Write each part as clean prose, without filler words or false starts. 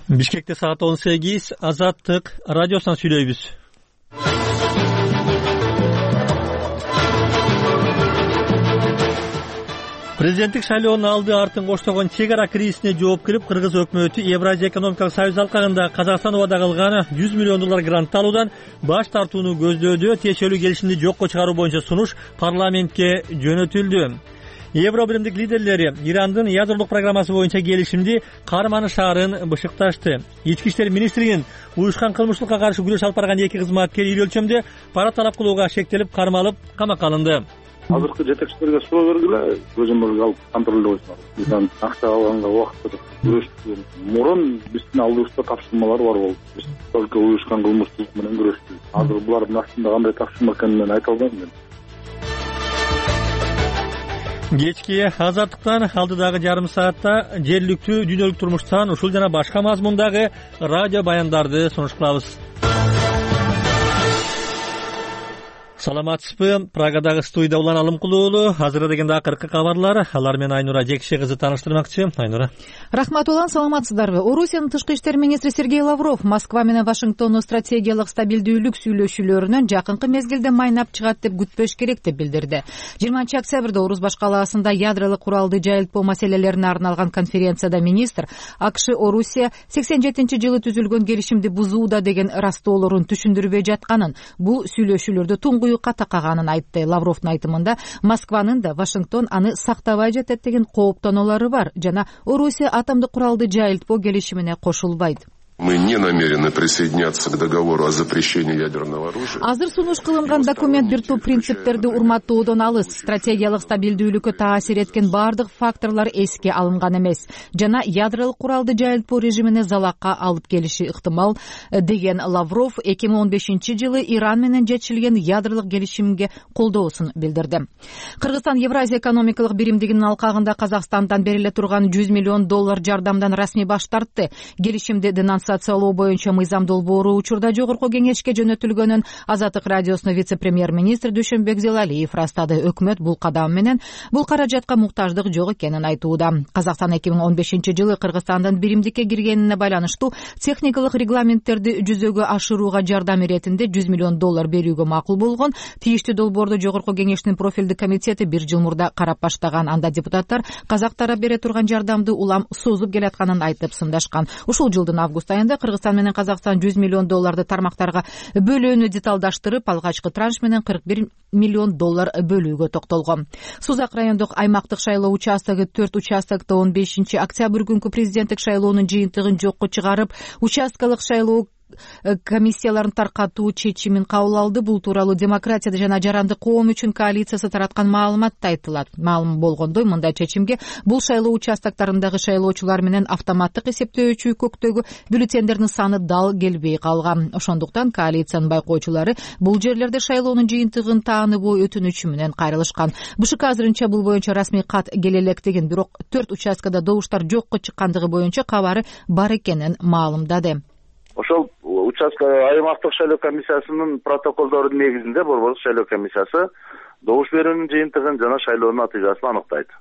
Бишкекте саат 18, Азаттык радиосунан сүйлөйбүз. Президенттик шайлоонун алды артын коштогон чек ара кризисине жооп берип, Кыргыз өкмөтү Евразия экономикалык союз алкагында Казакстан убада кылган $100 миллион грант алуудан баш тартууну көздөөдө тиешелүү келишимди жокко чыгаруу боюнча сунуш парламентке жөнөтүлдү. Евро биримдик лидерлери Ирандын ядролук программасы боюнча келишимди карманышаарын бышыкташты. Ички иштер министринин уюшкан кылмыштыкка каршы күрөш алып барган 2 кызматкер ири өлчөмдө пара талап кылууга шектелип, кармалып, камакка алынды. Азыркы жетекчилерге суроо бергиле, көзөмөлгө алып контролдой койсуңар. Бизден акча алганга убакытта күрөштүк. Мурун биздин алдыбызда тапшырмалар бар болду. Биз только уюшкан кылмыштык менен күрөштүк. Азыр булардын астында кандай тапшырма экенин мен айта албайм мен. Кечки Азаттыктан алдыдагы жарым саатта жергиликтүү дүйнөлүк турмуштан ушул жана башка мазмундагы радио баяндарды сунуш кылабыз. Саламатсызбы? Прагадагы студияда Улан Алымкулуу. Азыр дегенде акыркы кабарлар. Алар менен Айнура Жекше кызы тааныштырмакчы. Айнура. Рахмат Улан, саламатсыздарбы? Орусиянын тышкы иштер министри Сергей Лавров Москва менен Вашингтондун стратегиялык стабилдүүлүк сүйлөшүүлөрүнөн жакынкы мезгилде майнап чыгат деп күтпөш керек деп билдирди. 20-октябрда Орус баш калаасында ядролук куралды жайылтпоо маселелерине арналган конференцияда министр АКШ Орусия 87-жылы түзүлгөн келишимди бузууда деген растоолорун түшүндүрбөй жатканын, бул сүйлөшүүлөрдө туңгуюкка такаганын айтты. Лавровдун айтымында Москванын да Вашингтон аны сактабай жатат деген кооптонуулары бар жана Орусия атомдук куралды жайылтпоо келишимине кошулбайт. Мы не намерены присоединяться к договору о запрещении ядерного оружия. Азыр сунуш кылынган документ бир топ принциптерди урматтоодон алыс. Стратегиялык стабилдүүлүккө таасир эткен бардык факторлор эске алынган эмес жана ядролук куралды жайылтпоо режимине залакка алып келиши ыктымал деген Лавров 2015-жылы Иран менен жетишилген ядролук келишимге колдоосун билдирди. Кыргызстан Евразия экономикалык биримдигинин алкагында Казакстандан бериле турган $100 миллион жардамдан расмий баш тартты. Келишимди денонсациялоо боюнча мыйзам долбоору учурда жогорку кеңешке жөнөтүлгөнүн Азаттык радиосунун вице-премьер-министри Дүйшөнбек Зелалиев растады. Өкмөт бул кадам менен бул каражатка муктаждык жок экенин айтууда. Казакстан 2015-жылы Кыргызстандын биримдикке киргенине байланыштуу техникалык регламенттерди жүзөгө ашырууга жардам иретинде $100 миллион берүүгө макул болгон. Тийиштүү долбоорду жогорку кеңештин профилдик комитети 1 жыл мурда карап баштаган. Анда депутаттар казак тарап бере турган жардамды улам созуп келатканын айтып сындашкан. Ушул жылдын август айында Кыргызстан менен Казакстан $100 миллион тармактарга бөлүүнү деталдаштырып, алгачкы транш менен $41 миллион бөлүүгө токтолгон. Сузак райондук аймактык шайлоо участогу 4 участокто 15-октябрь күнкү президенттик шайлоонун жыйынтыгын жокко чыгарып, участкалык шайлоо комиссияларын таркатуу чечимин кабыл алды. Бул тууралуу Демократия жана Жарандык коом үчүн коалициясы тараткан маалыматта айтылат. Маалым болгондой, мындай чечимге бул шайлоо участоктарындагы шайлоочулар менен автоматтык эсептөөчү көктөгү бюллетендердин саны дал келбей калган. Ошондуктан коалициянын байкоочулары бул жерлерде шайлоонун жыйынтыгын тааныбоо өтүнүчү менен кайрылышкан. БШК азырынча бул боюнча расмий кат келе элек деген, бирок 4 участкада добуштар жокко чыккандыгы боюнча кабары бар экенин маалымдады. Ошол участка аймактык шайлоо комиссиясынын протоколдорунун негизинде Борбордук шайлоо комиссиясы добуш берүүнүн жыйынтыгын жана шайлоонун натыйжасын аныктайт,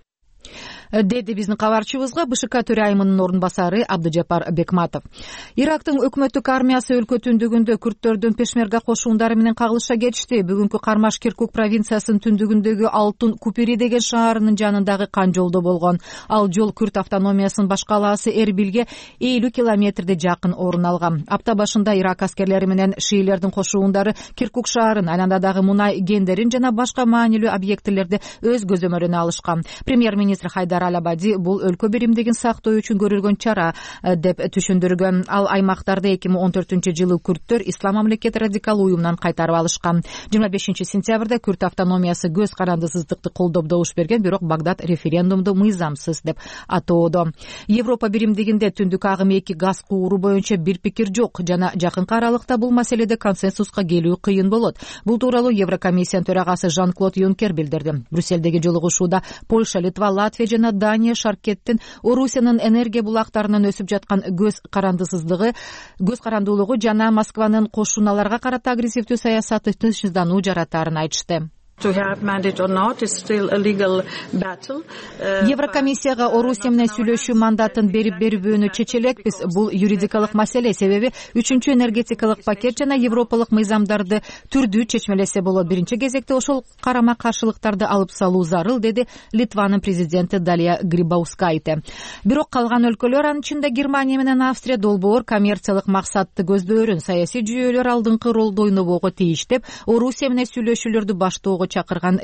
деди биздин кабарчыбызга БШК төрайымынын орун басары Абдыжапар Бекматов. Ирактын өкмөттүк армиясы өлкө түндүгүндө күрттөрдүн пешмерга кошуундары менен кагылышка кетишти. Бүгүнкү кармаш Киркук провинциясынын түндүгүндөгү Алтын Купири деген шаарынын жанындагы кан жолдо болгон. Ал жол Күрт автономиясынын баш калаасы Эрбилге 50 километрде жакын орун алган. Апта башында Ирак аскерлери менен шиилердин кошуундары Киркук шаарын, айландадагы мунай кендерин жана башка маанилүү объектилерди өз көзөмөлүнө алышкан. Премьер-министр Хайдар Алабади бул өлкө биримдигин сактоо үчүн көрүлгөн чара деп түшүндүргөн. Ал аймактарды 2014-жылы күрттөр Ислам мамлекети радикал уюмунан кайтарып алышкан. 25-сентябрда Күрт автономиясы көз карандысыздыкты колдоп добуш берген, бирок Багдад референдумду мыйзамсыз деп атоодо. Европа биримдигинде түндүк агым 2 газ кууру боюнча бир пикир жок жана жакынкы аралыкта бул маселеде консенсуска келүү кыйын болот. Бул тууралуу Еврокомиссиянын төрагасы Жан-Клод Юнкер билдирди. Брюссельдеги жолугушууда Польша, Литва, Латвия жана Дания шаркеттин Орусиянын энергия булактарынан өсүп жаткан көз карандуулугу жана Москванын кошуналарга карата агрессивдүү саясаты тынчсыздануу жаратаарын айтышты. Еврокомиссияга Орусия менен сүйлөшүү мандатын берип бербөөнү чече элекпиз. Бул юридикалык маселе, себеби 3-чү энергетикалык пакет жана европалык мыйзамдарды түрдүү чечмелесе болот. Биринчи кезекте ошол карама каршылыктарды алып салуу зарыл, деди Литванын президенти Далия Грибаускайте. Бирок калган өлкөлөр, анын ичинде Германия менен Австрия, долбоор коммерциялык максатты көздөөрүн, саясий жүйөлөр алдыңкы ролду ойнобого тийиш деп, Орусия менен сүйлөшүүлөрдү баштоо чакыргын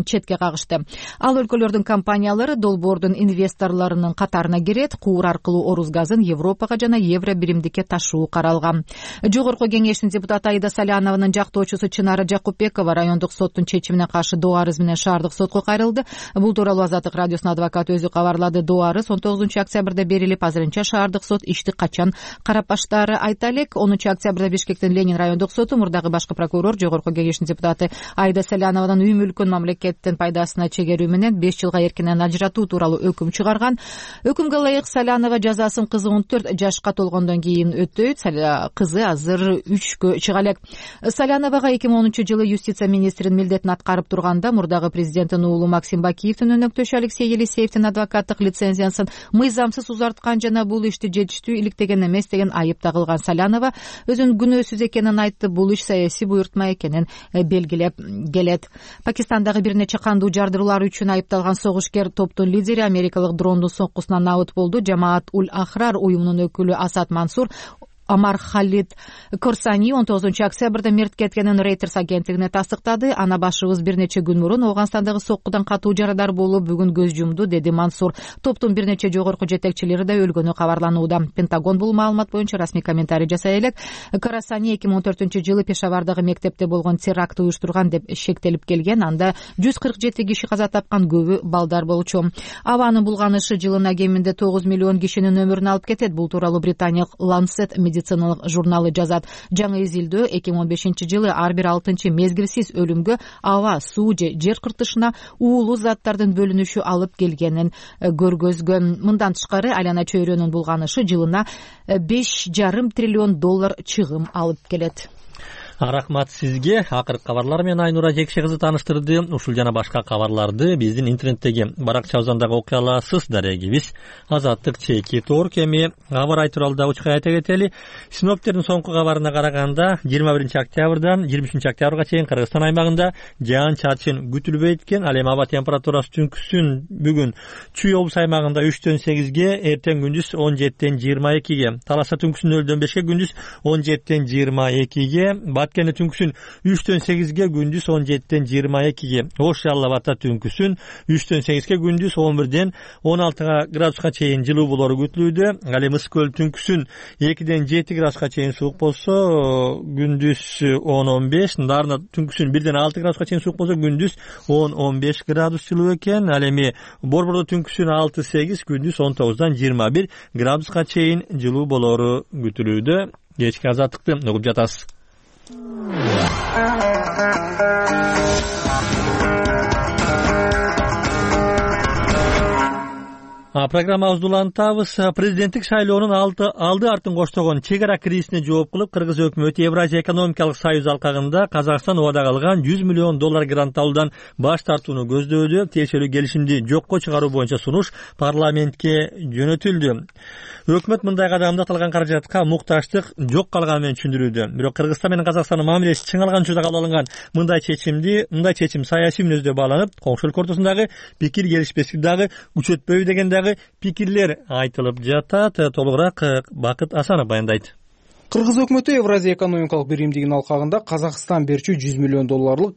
четке кагышты. Ал өлкөлөрдүн компаниялары долбоордун инвесторлорунун катарына кирет, куур аркылуу Орус газын Европага жана евро биримдикке ташуу каралган. Жогорку кеңештин депутаты Аида Салянованын жактоочусу Чынара Жакупбекова райондук соттун чечимине каршы доо арыз менен шаардык сотко кайрылды. Бул тууралуу Азаттык радиосунун адвокаты өзү кабарлады. Доо арыз 19 октябрда берилип, азырынча шаардык сот ишти качан карап баштаары айта элек. 10 октябрда Бишкектин Ленин райондук соту мурдагы башкы прокурор жогорку кеңештин депутаты Аида Салянованын үй мүлкүн мамлекеттин пайдасына чегерүү менен 5 жылга эркинен ажыратуу тууралуу өкүм чыгарган. Өкүмгө ылайык Салянова жазасын кызы 14 жашка толгондон кийин өтөйт. Кызы азыр 3кө чыга элек. Саляновага 2010-жылы юстиция министринин милдетин аткарып турганда мурдагы президенттин уулу Максим Бакиевдин өнөктөшү Алексей Елисеевдин адвокаттык лицензиясын мыйзамсыз узарткан жана бул ишти жетиштүү иликтеген эмес деген айып тагылган. Салянова өзүнүн күнөөсүз экенин айтты. Бул иш саясий буйртма экенин белгилеп келет. Пакистандагы бир нече кандуу жардыруулар үчүн айыпталган согушкер топтун лидери америкалык дрондун соңкусунан набыт болду. Жамаат Уль Ахрар уюмунун өкүлү Асад Мансур Амар Халид Корсани 19 октябрда мерт кеткенин Reuters агенттигине тастыктады. Ана башыбыз бир нече күн мурун Ооганстандагы соккудан катуу жарадар болуп, бүгүн көз жумду, деди Мансур. Топтун бир нече жогорку жетекчилери да өлгөнү кабарланууда. Пентагон бул маалымат боюнча расмий комментарий жасай элек. Корсани 2014-жылы Пешавардагы мектепте болгон теракт уюштурган деп шектелип келген. Анда 147 киши каза тапкан, көбү балдар болчу. Абанын булганышы жылына кеминде 9 миллион кишинин өмүрүн алып кетет. Бул тууралуу Британиялык Lancet медициналык журналы жазат. Жаңы изилдөө 2015-жылы ар бир 6-чы мезгилсиз өлүмгө аба, суу же жер кыртышына уулуу заттардын бөлүнүшү алып келгенин көргөзгөн. Мындан тышкары айлана чөйрөнүн булганышы жылына $5,5 триллион чыгым алып келет. Рахмат сизге. Акыркы кабарлар менен Айнура Жекше кызы тааныштырды. Ушул жана башка кабарларды биздин интернеттеги баракчабыздан окуй аласыз. Дарегибиз Азаттык /Торк. Эми кабар айтуралда учка айта кетели. Синоптиктердин соңку кабарына караганда 21 октябрдан 23 октябрга чейин Кыргызстан аймагында жаан-чачын күтүлбөйт экен. Ал эми аба температурасы түнкүсүн бүгүн Чүй облус аймагында 3-төн 8ге, эртең күндүз 17-тен 22ге, Таласа түнкүсүн 0-дөн 5ке, күндүз 17-тен 22ге, Баткене түнкүсүн 3-төн 8ге, күндүз 17-тен 22ге, Ош Жалал Абадта түнкүсүн 3-төн 8ге, күндүз 11-ден 16 градуска чейин жылуу болору күтүлүүдө. Ал эми Ысык көл түнкүсүн 2-ден 7 градуска чейин суук болсо, күндүз 10-15, Дарна түнкүсүн 1-ден 6 градуска чейин суук болсо, күндүз 10-15 градус жылуу экен. Ал эми Борбордо түнкүсүн 6-8, күндүз 19-дан 21 градуска чейин жылуу болору күтүлүүдө. Кечки азаттыкты угуп жатасыз. Программабызды улантабыз. Президенттик шайлоонун алды артын коштогон чек ара кризисине жооп кылып, Кыргыз өкмөтү Евразия экономикалык союз алкагында Казакстан убада кылган $100 миллион грант алуудан баш тартууну көздөөдө. Тиешелүү келишимди жокко чыгаруу боюнча сунуш парламентке жөнөтүлдү. Өкмөт мындай кадамды аталган каражатка мукташтык жок калганы менен түшүндүрүүдө. Бирок Кыргызстан менен Казакстандын мамилеси чыңалган учурда кабыл алынган мындай чечим саясий мүнөздө бааланып, коңшу өлкө ортосундагы пикир келишпестик дагы күчөтпөйбү деген дагы пикирлер айтылып жатат. Толугураак Бакыт Асанов баяндайт. Кыргыз өкмөтү Евразия экономикалык биримдигинин алкагында Казакстан берчү $100 миллион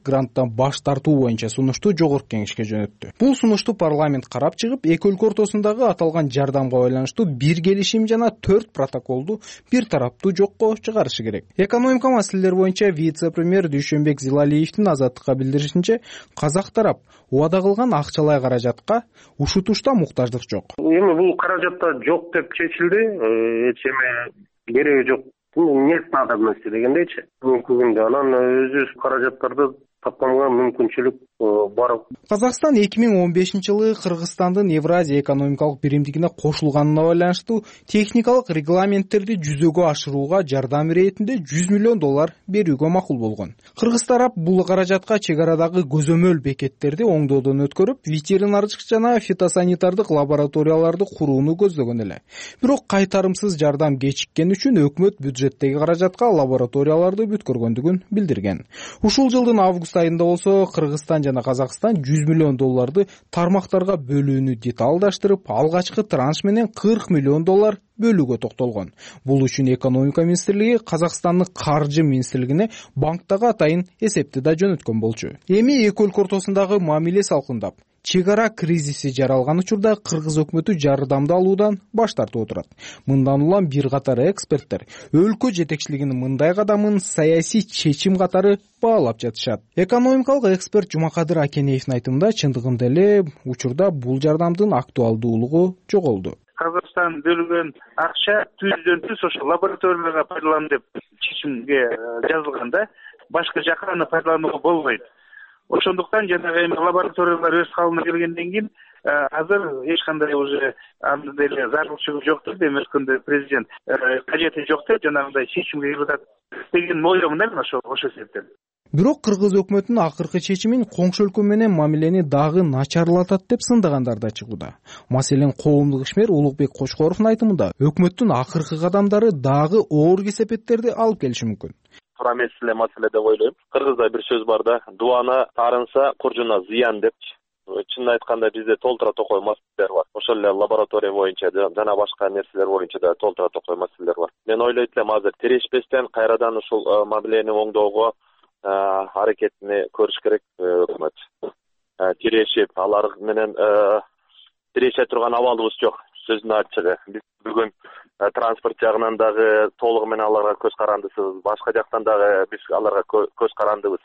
гранттан баш тартуу боюнча сунушту жогорку кеңешке жөнөттү. Бул сунушту парламент карап чыгып, эки өлкө ортосундагы аталган жардамга байланыштуу бир келишим жана 4 протоколду бир тараптуу жокко чыгарышы керек. Экономика маселелер боюнча вице-премьер Дүйшөнбек Зилалиевдин Азаттыкка билдиришинче, казак тарап убада кылган акчалай каражатка ушутушта муктаждык жок. Эми бул каражатта жок деп чечилди, эч эме кереги жок. Нет надобности дегендейчи. Бүгүнкү күндө анан өзүбүз каражаттарды тапканга мүмкүнчүлүк барып. Казакстан 2015-жылы Кыргызстандын Евразия экономикалык биримдигине кошулганына байланыштуу техникалык регламенттерди жүзөгө ашырууга жардам иретинде $100 миллион берүүгө макул болгон. Кыргыз тарап бул каражатка чек арадагы көзөмөл бекеттерди оңдоодон өткөрүп, ветеринардык жана фитосанитардык лабораторияларды курууну көздөгөн эле. Бирок кайтарымсыз жардам кечиккени үчүн өкмөт бюджеттеги каражатка лабораторияларды бүткөргөндүгүн билдирген. Ушул жылдын август айында болсо Кыргызстан жана Казакстан $100 миллион тармактарга бөлүүнү деталдаштырып, алгачкы транш менен $40 миллион бөлүүгө токтолгон. Бул үчүн экономика министрлиги Казакстандын каржы министрлигине банктагы атайын эсепти да жөнөткөн болчу. Эми эки өлкө ортосундагы мамиле салкындап, чек ара кризиси жаралган учурда Кыргыз өкмөтү жардамды алуудан баш тартып отурат. Мындан улам бир катар эксперттер өлкө жетекчилигинин мындай кадамын саясий чечим катары баалап жатышат. Экономикалык эксперт Жумакадыр Акенеевдин айтымында, чындыгында эле учурда бул жардамдын актуалдуулугу жоголду. Казакстан бөлгөн акча түздөн-түз ошо лабораторияларга пайдалан деп чечимге жазылганда, башка жака аны пайдаланууга болбойт. Ошондуктан жанагы эми лабораториялар өз калыбына келгенден кийин азыр эч кандай уже анда деле зарылчылык жок деп эметкенде президент кажети жок деп жанагындай чечимге келип деген ойломун мен ошо себептен. Бирок Кыргыз өкмөтүнүн акыркы чечимин коңшу өлкө менен мамилени дагы начарлатат деп сындагандар да чыгууда. Маселен, коомдук ишмер Улукбек Кочкоровдун айтымында, өкмөттүн акыркы кадамдары дагы оор кесепеттерди алып келиши мүмкүн. Туура эмес эле маселе деп ойлойм. Кыргызда бир сөз бар да, дубана таарынса куржуна зыян депчи. Чынын айтканда бизде толтура токой маселелер бар. Ошол эле лаборатория боюнча жана башка нерселер боюнча да толтура токой маселелер бар. Мен ойлойт элем азыр тирешпестен кайрадан ушул мамилени оңдоого аракетини көрүш керек өкмөт. Тирешип, алар менен тиреше турган абалыбыз жок. Сөздүн ачыгы. Биз бүгүн транспорт жагынан дагы толугу менен аларга көз карандысыбыз, башка жактан дагы биз аларга көз карандыбыз.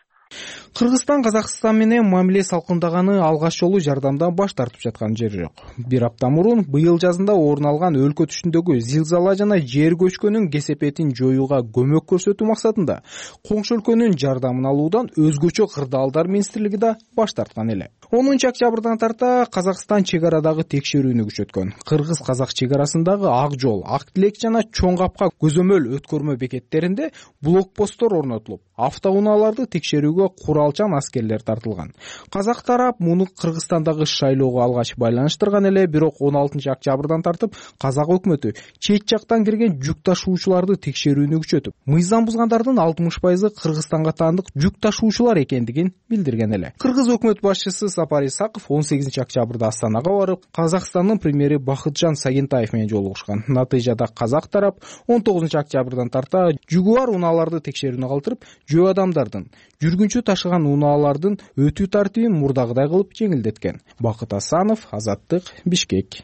Кыргызстан Казакстан менен мамиле салкындаганы алгач жолу жардамдан баш тартып жаткан жери жок. Бир апта мурун быйыл жазында орун алган өлкө түшүндөгү зилзала жана жер көчкөнүн кесепетин жоюуга көмөк көрсөтүү максатында коңшу өлкөнүн жардамын алуудан өзгөчө кырдаалдар министрлиги да баш тарткан эле. 10 октябрдан тарта Казакстан чек арадагы текшерүүнү күчөткөн. Кыргыз-казак чек арасындагы Ак жол, Ак Тилек жана Чоң Капка көзөмөл өткөрмө бекеттеринде блокпосттор орнотулуп, автоунааларды текшерүүгө куралчан аскерлер тартылган. Казак тарап муну Кыргызстандагы шайлоого алгач байланыштырган эле, бирок 16 октябрдан тартып казак өкмөтү чет жактан кирген жүк ташуучуларды текшерүүнү күчөтүп, мыйзам бузгандардын 60% Кыргызстанга таандык жүк ташуучулар экендигин билдирген эле. Кыргыз өкмөт башчысы Сапар Исаков 18 октябрда Астанага барып, Казакстандын премьери Бакытжан Сагентаев менен жолугушкан. Натыйжада казак тарап 19 октябрдан тарта жүгү бар унааларды текшерүүнү калтырып, жөө адамдардын, жүргүнчү ташыган унаалардын өтүү тартибин мурдагыдай кылып жеңилдеткен. Бакыт Асанов, Азаттык, Бишкек.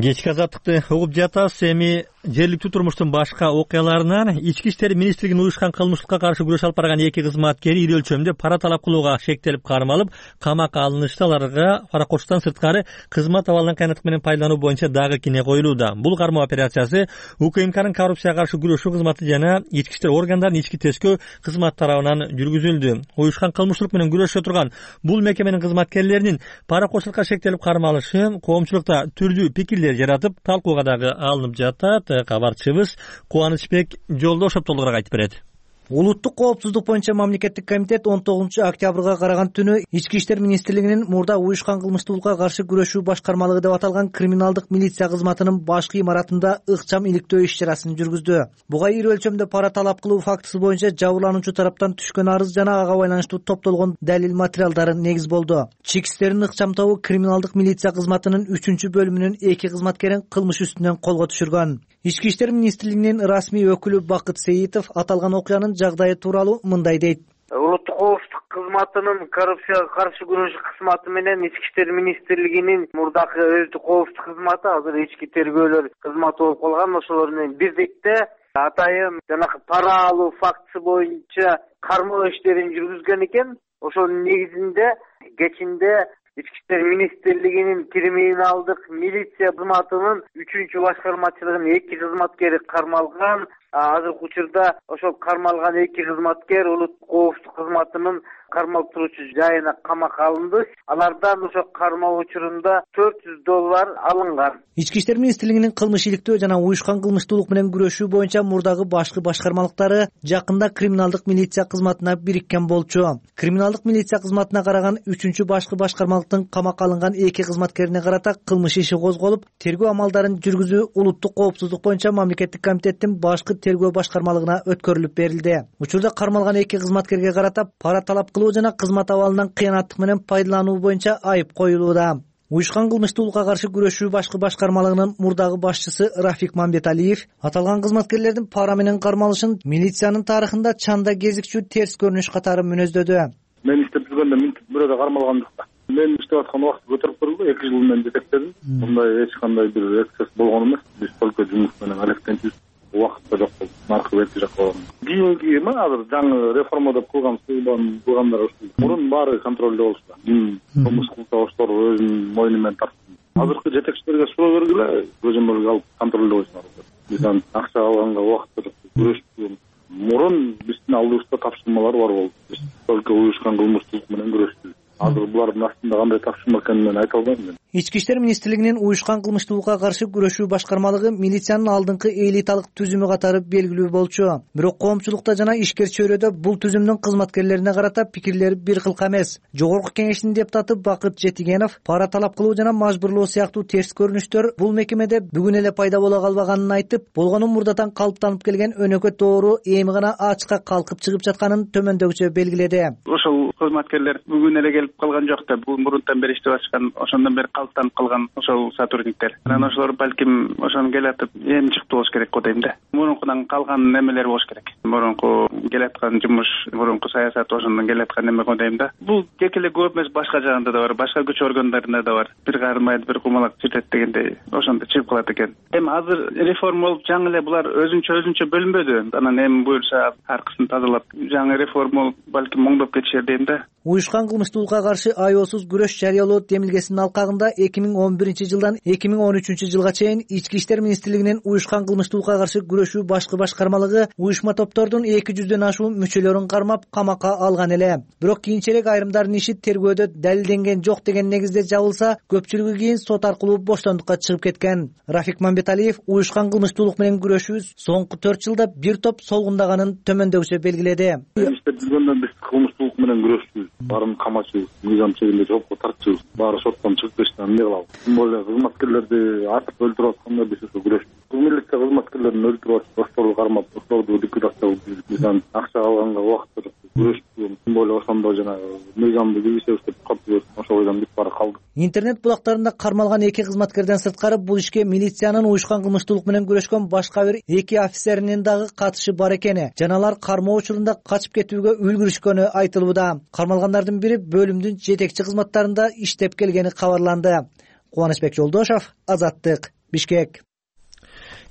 Кечки азаттыкты угуп жатасыз. Эми жергиликтүү турмуштун башка окуяларынан Ички иштер министрлигинин уюшкан кылмыштыкка каршы күрөш алып барган 2 кызматкери ири өлчөмдө пара талап кылууга шектелип кармалып, камакка алынышты. Аларга паракоштон сырткары кызмат абалын кыянаттык менен пайдалануу боюнча дагы кине коюлууда. Бул кармоо операциясы УКМКнын коррупцияга каршы күрөшүү кызматы жана ички иштер органдарынын ички тескөө кызмат тарабынан жүргүзүлдү. Уюшкан кылмыштык менен күрөшө турган бул мекеменин кызматкерлеринин паракоштукка шектелип кармалышы коомчулукта түрдүү пикирлер жаратып, талкууга дагы алынып жатат. Кабарчыбыз Кубанычбек Жолдошов толугураак айтып берет. Улуттук коопсуздук боюнча мамлекеттик комитет 19 октябрга караган түнү Ички иштер министрлигинин мурда уюшкан кылмыштуулукка каршы күрөшүү башкармалыгы деп аталган криминалдык милиция кызматынын башкы имаратында ыкчам иликтөө иш-чарасын жүргүздү. Буга ири өлчөмдө пара талап кылуу фактысы боюнча жабырлануучу тараптан түшкөн арыз жана ага байланыштуу топтолгон далил материалдары негиз болду. Чек иштердин ыкчам тобу криминалдык милиция кызматынын 3-бөлүмүнүн 2 кызматкерин кылмыш үстүнөн колго түшүргөн. Ички иштер министрлигинин расмий өкүлү Бакыт Сейитов аталган окуянын жагдайы тууралуу мындай дейт. Улуттук коопсуздук кызматынын коррупцияга каршы күрөш кызматы менен Ички иштер министрлигинин мурдакы өздүк коопсуздук кызматы азыр ички тергөөлөр кызматы болуп калган. Ошолор менен бирдикте атайын жанагы пара алуу фактысы боюнча кармоо иштерин жүргүзгөн экен. Ошонун негизинде кечинде Ички иштер министрлигинин криминалдык милиция кызматынын 3-башкармачылыгынын 2 кызматкери кармалган. Азыркы учурда ошол кармалган 2 кызматкер улуттук коопсуздук кызматынын кармалып туруучу жайына камакка алынды. Алардан ошо кармоо учурунда $400 алынган. Ички иштер министрлигинин кылмыш иликтөө жана уюшкан кылмыштуулук менен күрөшүү боюнча мурдагы башкы башкармалыктары жакында криминалдык милиция кызматына бириккен болчу. Криминалдык милиция кызматына караган 3-чү башкы башкармалыктын камакка алынган 2 кызматкерине карата кылмыш иши козголуп, тергөө амалдарын жүргүзүү улуттук коопсуздук боюнча мамлекеттик комитеттин башкы тергөө башкармалыгына өткөрүлүп берилди. Учурда кармалган 2 кызматкерге карата пара талап кылуу жана кызмат абалынан кыянаттык менен пайдалануу боюнча айып коюлууда. Уюшкан кылмыштуулукка каршы күрөшүү башкы башкармалыгынын мурдагы башчысы Рафик Мамбеталиев аталган кызматкерлердин пара менен кармалышын милициянын тарыхында чанда кезикчү терс көрүнүш катары мүнөздөдү. Мен иштеп жүргөндө минтип бирөөдө кармалгандыкта. Мен иштеп аткан убакытты көтөрүп көрдүм, 2 жыл менен жетектедим. Мындай эч кандай бир эксцесс болгон эмес. Биз только жумуш менен алектенчүбүз. Убакытта жок болду. Наркы бетки жак болгон. Кийинки азыр жаңы реформа деп кылгандар ушул. Мурун баары контролдо болчу. Ким кылмыш кылса ошолор өзүнүн мойну менен тартты. Азыркы жетекчилерге суроо бергиле, көзөмөлгө алып контролдо койсунар. Биз акча алганга убакытта күрөштүк. Мурун биздин алдыбызда тапшырмалар бар болду. Биз только уюшкан кылмыштуулук менен күрөштүк. Азыр булардын астында кандай тапшырма экенин мен айта албайм мен. Ички иштер министрлигинин уюшкан кылмыштуулукка каршы күрөшүү башкармалыгы милициянын алдыңкы элиталык түзүмү катары белгилүү болчу. Бирок коомчулукта жана ишкер чөйрөдө бул түзүмдүн кызматкерлерине карата пикирлер бир кылка эмес. Жогорку кеңештин депутаты Бакыт Жетигенов пара талап кылуу жана мажбурлоо сыяктуу терс көрүнүштөр бул мекемеде бүгүн эле пайда боло калбаганын айтып, болгону мурдатан калыптанып келген өнөкөт доору эми гана ачыкка калкып чыгып жатканын төмөндөгүчө белгиледи. Ошол кызматкерлер бүгүн эле келип калган жок да, бул мурунтан бери иштеп атышкан, ошондон бери калыптанып калган ошол сотрудниктер. Анан ошолор балким ошону келатып эми чыктуу болуш керек го дейм да. Мурункудан калган немелер болуш керек. Мурунку келаткан жумуш, мурунку саясат ошондон келаткан неме го дейм да. Бул тек эле көп эмес, башка жагында да бар, башка күч органдарында да бар. Бир кармайт, бир кумалак сүрөт дегендей ошондо чыгып калат экен. Эми азыр реформа болуп жаңы эле булар өзүнчө бөлүнбөдү. Анан эми буюрса аркысын тазалап жаңы реформа болуп балким оңдоп кетишер дейм да. Уюшкан кылмыштуулукка каршы аеосуз күрөш жарыялоо демилгесинин алкагында 2011-жылдан 2013-жылга чейин Ички иштер министрлигинин уюшкан кылмыштуулукка каршы күрөшүү башкы башкармалыгы уюшма топтордун 200дөн ашуун мүчөлөрүн кармап камакка алган эле. Бирок кийинчерээк айрымдардын иши тергөөдө далилденген жок деген негизде жабылса, көпчүлүгү кийин сот аркылуу боштондукка чыгып кеткен. Рафик Мамбеталиев уюшкан кылмыштуулук менен күрөшүү соңку 4 жылда бир топ солгундаганын төмөндөгүчө белгиледи. Иштеп жүргөндө биз кылмыштуулук менен күрөштүбүз. Баарын камачыбыз, мыйзам чегинде жоопко тартчубыз. Баары соттон чыгып кетишти, эмне кылабыз? Тим более кызматкерлерди атып өлтүрүп атканда биз ошо күрөштүк. Милиция кызматкерлерин өлтүрүп атып, ошолорду кармап, ошолорду ликвидация кылып, биз акча алганга убакытта күрөштүк. Тим более ошондо жана мыйзамды билбесебиз деп калдыбыз. Ошол бойдон бүт баары калды. Интернет булактарында кармалган 2 кызматкерден сырткары бул ишке милициянын уюшкан кылмыштуулук менен күрөшкөн башка бир 2 офицеринин дагы катышы бар экени жана алар кармоо учурунда качып кетүүгө үлгүрүшкөнү айтылууда. Кармалгандардын бири бөлүмдүн жетекчи кызматтарында иштеп келгени кабарланды. Кубанычбек Жолдошов, Азаттык, Бишкек.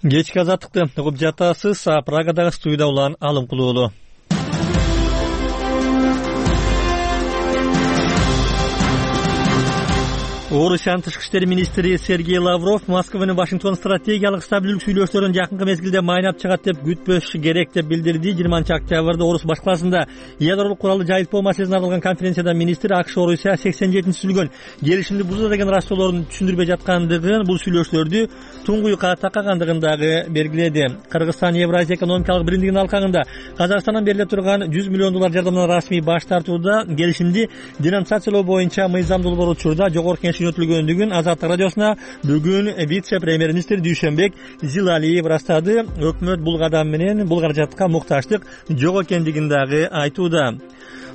Кечки Азаттыкты угуп жатасыз. Прагадагы студияда улан Алым Кулуулу. Орусиянын тышкы иштер министри Сергей Лавров Москванын Вашингтон стратегиялык стабилдүүлүк сүйлөшүүлөрүн жакынкы мезгилде майнап чыгат деп күтпөш керек деп билдирди. 20-октябрда Орус башкаласында ядролук куралды жайылтпоо маселесине арналган конференцияда министр АКШ Орусия 87-түзүлгөн келишимди бузду деген раштоолорун түшүндүрбөй жаткандыгын, бул сүйлөшүүлөрдү туңгуюкка такагандыгын дагы белгиледи. Кыргызстан Евразия экономикалык биримдигинин алкагында Казакстандан бериле турган $100 миллион жардамдан расмий баш тартууда, келишимди денонсациялоо боюнча мыйзамдуу бар учурда жогорку кеңеш өтүлгөндүгүн Азаттык радиосуна бүгүн вице-премьер-министр Дүйшөнбек Зилалиев ырастады. Өкмөт бул кадам менен бул каражатка муктаждык жок экендигин дагы айтууда.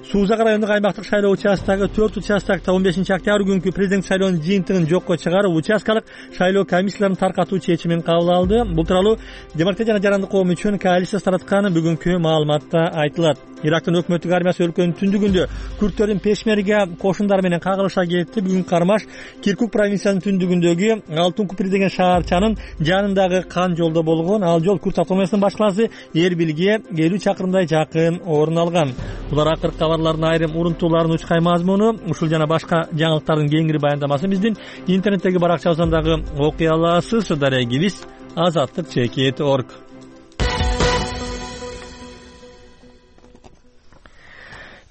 Суузак райондук аймактык шайлоо участкагы 4 участкта 15-октябрь күнкү президент шайлоонун жыйынтыгын жокко чыгарып, участкалык шайлоо комиссияларын таркатуу чечимин кабыл алды. Бул тууралуу Демократия жана Жарандык коом үчүн коалиция тараткан бүгүнкү маалыматта айтылат. Ирактын өкмөттүк армиясы өлкөнүн түндүгүндө күрттөрдүн пешмерге кошундары менен кагылыша кетти. Бүгүн Кармаш Киркук провинциясынын түндүгүндөгү Алтын Купри деген шаарчанын жанындагы кан жолдо болгон. Ал жол Күрт автономиясынын башкаласы Эрбилге 50 чакырымдай жакын орун алган. Булар акыркы кабарлардын айрым урунтууларынын учкай мазмуну. Ушул жана башка жаңылыктардын кеңири баяндамасын биздин интернеттеги баракчабыздан дагы окуй аласыз. Дарегибиз azatlyk.org.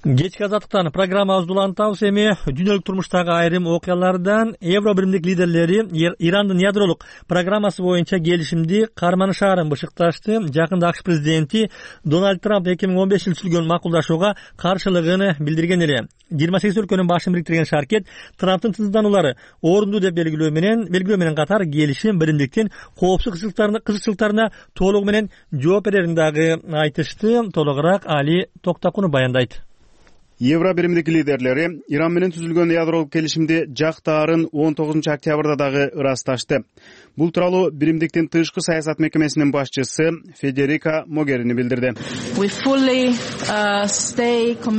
Кечки азаттыктан программабызды улантабыз. Эми дүйнөлүк турмуштагы айрым окуялардан Евро биримдик лидерлери Ирандын ядролук программасы боюнча келишимди карманышаарын бышыкташты. Жакында АКШ президенти Дональд Трамп 2015 түзүлгөн макулдашууга каршылыгын билдирген эле. 28 өлкөнүн башын бириктирген шаркет Трамптын тынчсыздануулары орунду деп белгилөө менен катар келишим биримдиктин коопсуздук кызыкчылыктарына толугу менен жооп берерин дагы айтышты. Толугураак Али Токтакунов баяндайт. Евро биримдик лидерлери Иран менен түзүлгөн ядролук келишимди жактаарын 19 октябрда дагы ырасташты. Бул тууралуу биримдиктин тышкы саясат мекемесинин башчысы Федерика Могерини билдирди.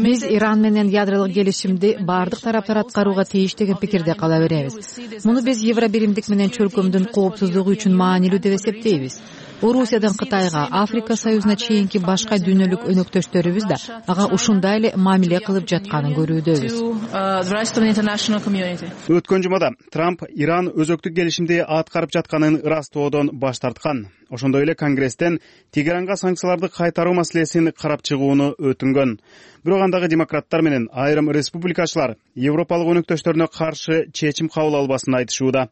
Биз Иран менен ядролук келишимди бардык тараптар аткарууга тийиш деген пикирде кала беребиз. Муну биз Евро биримдик менен чөлкөмдүн коопсуздугу үчүн маанилүү деп эсептейбиз. Орусиядан Кытайга, Африка Союзуна чейинки башка дүйнөлүк өнөктөштөрүбүз да ага ушундай эле мамиле кылып жатканын көрүүдөбүз. Өткөн жумада Трамп Иран өзөктүк келишимди аткарып жатканын ырастоодон баш тарткан. Ошондой эле Конгресстен Тегеранга санкцияларды кайтаруу маселесин карап чыгууну өтүнгөн. Бирок андагы демократтар менен айрым республикачылар Европалык өнөктөштөрүнө каршы чечим кабыл албасын айтышууда.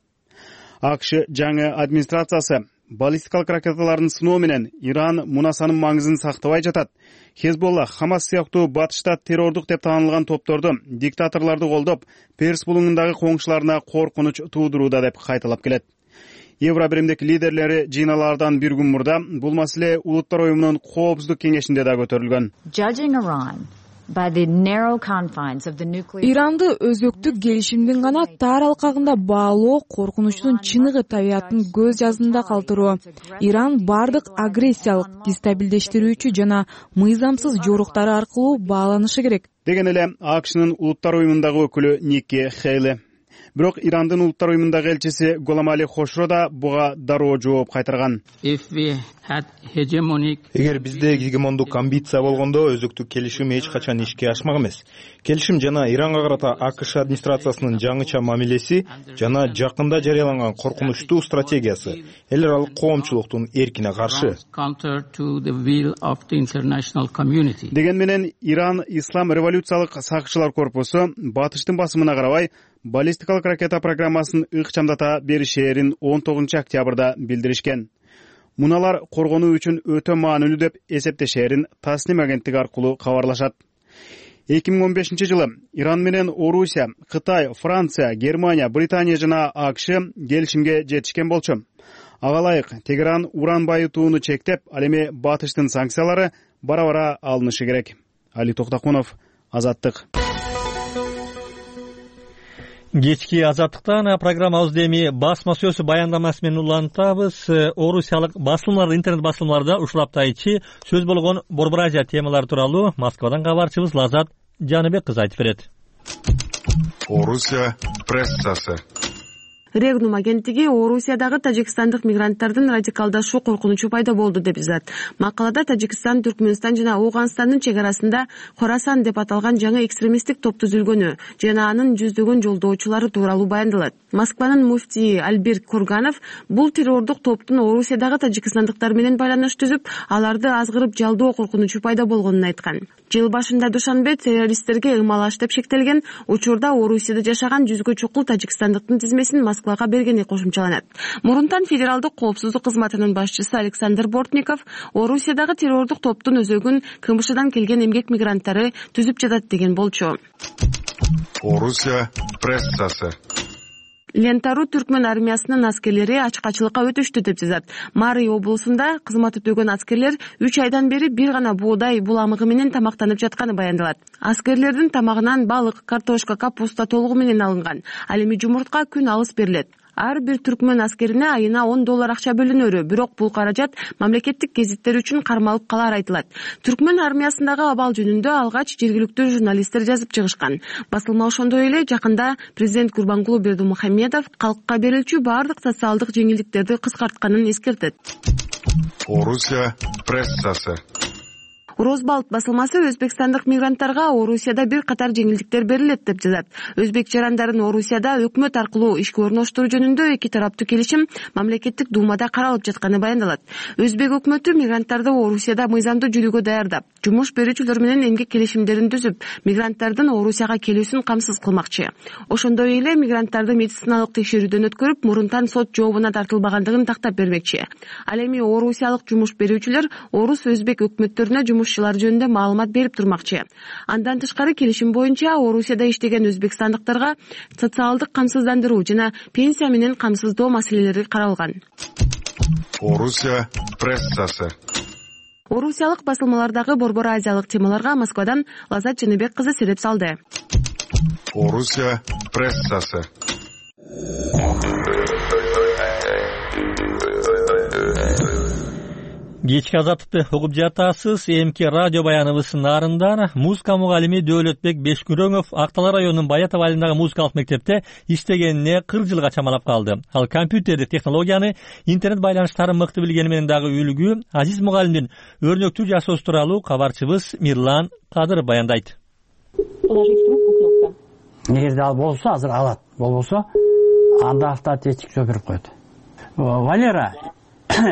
АКШ жаңы администрациясы баллистикалык ракеталардын сыноо менен Иран мунасанын маңызын сактабай жатат. Хезболла, Хамас сыяктуу батышта террордук деп таанылган топторду диктаторлорду колдоп, Перс булуңундагы коңшуларына коркунуч туудурууда деп кайталап келет. Евро биримдик лидерлери жыйналаардан бир күн мурда бул маселе Улуттар уюмунун коопсуздук кеңешинде да көтөрүлгөн. Иранды өзөктүк келишимдин гана тар алкагында баалоо коркунучтун чыныгы табиятын көз жаздында калтыруу. Иран бардык агрессиялык, дестабилдештирүүчү жана мыйзамсыз жоруктары аркылуу бааланышы керек деген эле АКШнын Улуттар уюмундагы өкүлү Никки Хейли. Бирок Ирандын Улуттар уюмундагы элчиси Голамали Хошро да буга дароо жооп кайтарган. Эгер бизде гегемондук амбиция болгондо өзөктүк келишим эч качан ишке ашмак эмес. Келишим жана Иранга карата АКШ администрациясынын жаңыча мамилеси жана жакында жарыяланган коркунучтуу стратегиясы эл аралык коомчулуктун эркине каршы. Деген менен Иран Ислам революциялык сакчылар корпусу батыштын басымына карабай баллистикалык ракета программасын ыкчамдата беришээрин 19 октябрда билдиришкен. Муналар коргонуу үчүн өтө маанилүү деп эсептешээрин Тасним агенттиги аркылуу кабарлашат. 2015 жылы Иран менен Орусия, Кытай, Франция, Германия, Британия жана АКШ келишимге жетишкен болчу. Ага ылайык Тегеран уран байытууну чектеп, ал эми батыштын санкциялары бара-бара алынышы керек. Али Токтакунов, Азаттык. Кечки азаттыктан программабызды эми басма сөзү баяндамасы менен улантабыз. Орусиялык басылмалар, интернет басылмаларда ушул апта ичи сөз болгон Борбор Азия темалары тууралуу Москвадан кабарчыбыз Лазат Жаныбек кызы айтып берет. Орусия прессасы. Регнум агенттиги Орусиядагы тажикстандык мигранттардын радикалдашуу коркунучу пайда болду деп жазат. Макалада Тажикстан, Түркмөнстан жана Ооганстандын чек арасында Хорасан деп аталган жаңы экстремисттик топ түзүлгөнү жана анын жүздөгөн жолдоочулары тууралуу баяндалат. Москванын муфтии Альберт Курганов бул террордук топтун Орусиядагы тажикстандыктар менен байланыш түзүп, аларды азгырып жалдоо коркунучу пайда болгонун айткан. Жыл башында Душанбе террористтерге ымалаш деп шектелген учурда Орусияда жашаган жүзгө чукул тажикстандыктын тизмесин Москвага бергени кошумчаланат. Мурунтан федералдык коопсуздук кызматынын башчысы Александр Бортников Орусиядагы террордук топтун өзөгүн КМШдан келген эмгек мигранттары түзүп жатат деген болчу. Орусия прессасы. Лентару түркмөн армиясынын аскерлери ачкачылыкка өтүштү деп жазат. Мари облусунда кызмат өтөгөн аскерлер 3 айдан бери бир гана буудай буламыгы менен тамактанып жатканы баяндалат. Аскерлердин тамагынан балык, картошка, капуста толугу менен алынган. Ал эми жумуртка күн алыс берилет. Ар бир түркмөн аскерине айына $10 акча бөлүнөрү, бирок бул каражат мамлекеттик гезиттер үчүн кармалып калар айтылат. Түркмөн армиясындагы абал жөнүндө алгач жергиликтүү журналисттер жазып чыгышкан. Басылма ошондой эле жакында президент Гурбангулы Бердимухамедов калкка берилчү бардык социалдык жеңилдиктерди кыскартканын эскертет. Орусия прессасы. Урозбалт басылмасы өзбекстандык мигранттарга Орусияда бир катар жеңилдиктер берилет деп жазат. Өзбек жарандарын Орусияда өкмөт аркылуу ишке орноштуруу жөнүндө эки тараптуу келишим мамлекеттик думада каралып жатканы баяндалат. Өзбек өкмөтү мигранттарды Орусияда мыйзамдуу жүрүүгө даярдап, жумуш берүүчүлөр менен эмгек келишимдерин түзүп, мигранттардын Орусияга келүүсүн камсыз кылмакчы. Ошондой эле мигранттарды медициналык текшерүүдөн өткөрүп, мурунтан сот жообуна тартылбагандыгын тактап бермекчи. Ал эми орусиялык жумуш берүүчүлөр орус өзбек өкмөттөрүнө жумушчулар жөнүндө маалымат берип турмакчы. Андан тышкары келишим боюнча Орусияда иштеген өзбекстандыктарга социалдык камсыздандыруу жана пенсия менен камсыздоо маселелери каралган. Орусия прессасы. Орусиялык басылмалардагы борбор азиялык темаларга Москвадан Лазат Жаныбек кызы сереп салды. Орусия прессасы. Кечки Азаттыкты угуп жатасыз. МК радио баяныбыздын нарында музыка мугалими Дөөлөтбек Бешкүрөңов Актала районунун Баятов айылындагы музыкалык мектепте иштегенине 40 жылга чамалап калды. Ал компьютердик технологияны, интернет байланыштарын мыкты билгени менен дагы үлгү. Азиз мугалимдин өрнөктүү жашоосу тууралуу кабарчыбыз Мирлан Кадыров баяндайт. Эгерде ал болсо, азыр алат. Болбосо, анда автоответчик берип коет. Валера,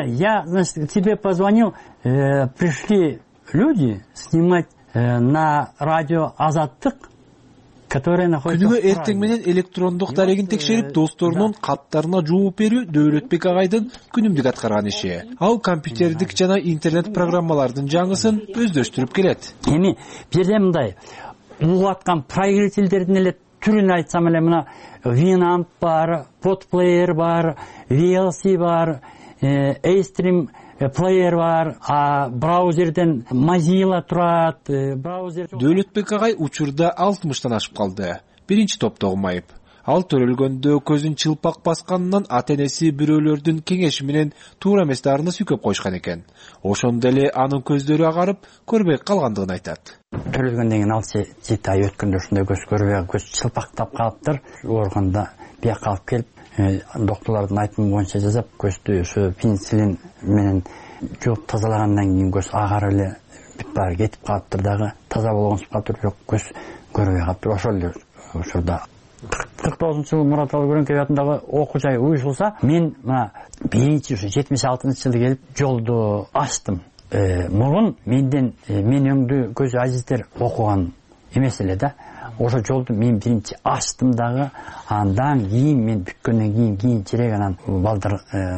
я, значит, тебе позвонил, пришли люди снимать на радио Азаттык, которые находятся... Күнүгө эртең менен электрондук дарегин текшерип, досторунун каттарына жооп берүү Дөөлөтбек агайдын күнүмдүк аткарган иши. Ал компьютердик жана интернет программалардын жаңысын өздөштүрүп келет. Эми бирде мындай угуп аткан проигрывательдердин эле түрүн айтсам эле, мына Winamp бар, Podplayer бар, VLC бар, A-Stream плеер бар, браузерден Mozilla турат, браузер... Дөөлөтбек агай учурда 60-тан ашып калды. Биринчи топтогу майып. Ал төрөлгөндө көзүн чылпак басканынан ата-энеси бирөөлөрдүн кеңеши менен туура эмес дарыны сүйкөп койушкан экен. Ошондо эле анын көздөрү агарып, көрбөй калгандыгын айтат. Төрөлгөндөн кийин ал 7 ай өткөндө ушундай көз көрбөй, көз чылпактап калыптыр. Оорганда бияка алып келип, доктурлардын айтымы боюнча жасап, көздү ошо пенициллин менен жууп тазалагандан кийин көз агарып эле баары кетип калыптыр дагы, таза болгонсуп калыптыр, бирок көз көрбөй калыптыр. Ошол эле учурда 49-жылы Мурат Алгөрөнкөй атындагы окуу жай уюшулса, мен мына биринчи ушу 76-жылы келип жолду ачтым. Мурун мен өңдүү көзү азиздер окуган эмес эле да. Ошо жолду мен биринчи ачтым дагы, андан кийин мен бүткөндөн кийинчерээк анан балдар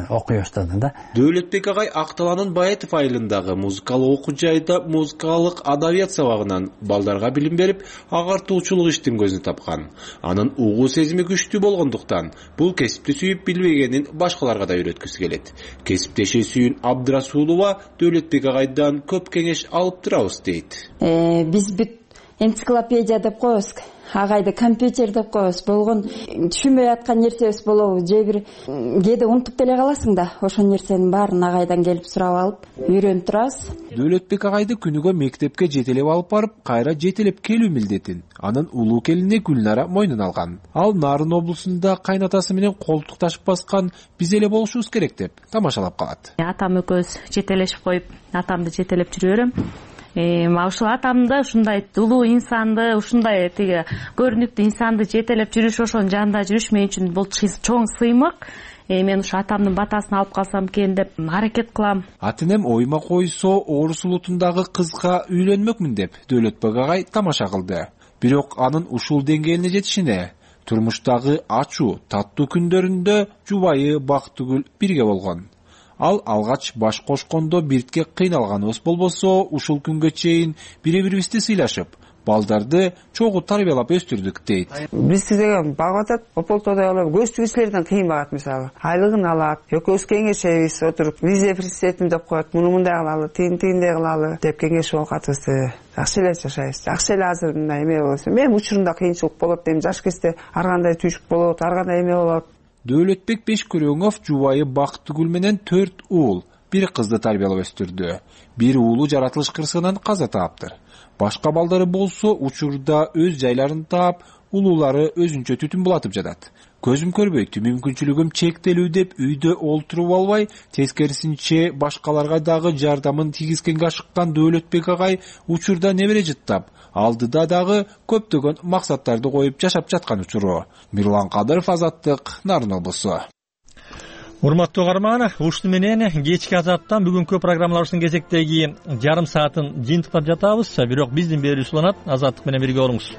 окуй баштады да. Дөөлөтбек агай Акталанын Баятов айылындагы музыкалык окуу жайда музыкалык адабият сабагынан балдарга билим берип, агартуучулук иштин көзүн тапкан. Анын угуу сезими күчтүү болгондуктан бул кесипти сүйүп билбегенин башкаларга да үйрөткүсү келет. Кесиптеши Сүйүн Абдрасулова Дөөлөтбек агайдан көп кеңеш алып турабыз дейт. Биз бүт энциклопедия деп коебуз, агайды компьютер деп коебуз. Болгон түшүнбөй аткан нерсебиз болобу, же бир кээде унутуп деле каласың да. Ошол нерсенин баарын агайдан келип сурап алып, үйрөнүп турабыз. Дөөлөтбек агайды күнүгө мектепке жетелеп алып барып, кайра жетелеп келүү милдетин анын улуу келини Гүлнара мойнуна алган. Ал Нарын облусунда кайнатасы менен колтукташып баскан биз эле болушубуз керек деп тамашалап калат. Атам экөөбүз жетелешип коюп, атамды жетелеп жүрө берем. Ушул атамды ушундай улуу инсанды, ушундай тиги көрүнүктүү инсанды жетелеп жүрүш, ошонун жанында жүрүш мен үчүн бул чоң сыймык. Мен ушу атамдын батасын алып калсам экен деп аракет кылам. Ата-энем оюма койсо, орус улутундагы кызга үйлөнмөкмүн деп Дөөлөтбек агай тамаша кылды. Бирок анын ушул деңгээлине жетишине турмуштагы ачуу, таттуу күндөрүндө жубайы Бактыгүл бирге болгон. Ал алгач баш кошкондо биртке кыйналганыбыз болбосо, ушул күнгө чейин бири-бирибизди сыйлашып, балдарды чогуу тарбиялап өстүрдүк дейт. Бизди деген багып атат, ополтодой алып, көзтү кишилерден кыйын багат мисалы. Айлыгын алат, экөөбүз кеңешебиз, отуруп, визе президентим деп коет, муну мындай кылалы, тигиндей кылалы деп кеңешип окатыбызды. Жакшы эле жашайбыз. Жакшы эле азыр мындай эме болсо. Мен учурунда кыйынчылык болот дейм, жаш кезде ар кандай түйшүк болот, ар кандай эме болот. Дөөлөтбек Бешкүрөңов жубайы Бактыгүл менен 4 уул, 1 кызды тарбиялап өстүрдү. Бир уулу жаратылыш кырсыгынан каза таптыр. Башка балдары болсо учурда өз жайларын таап, улуулары өзүнчө түтүн булатып жатат. Көзүм көрбөйт, мүмкүнчүлүгүм чектелүү деп үйдө олтуруп албай, тескерисинче башкаларга дагы жардамын тийгизгенге ашыккан Дөөлөтбек агай учурда небере жыттап, алдыда дагы көптөгөн максаттарды коюп жашап жаткан учуру. Мирлан Кадыров, Азаттык, Нарын облусу. Урматтуу каарман, ушуну менен кечки Азаттан бүгүнкү программаларыбыздын кезектеги жарым саатын жыйынтыктап жатабыз. Бирок биздин берүүбүз уланат. Азаттык менен бирге болуңуз.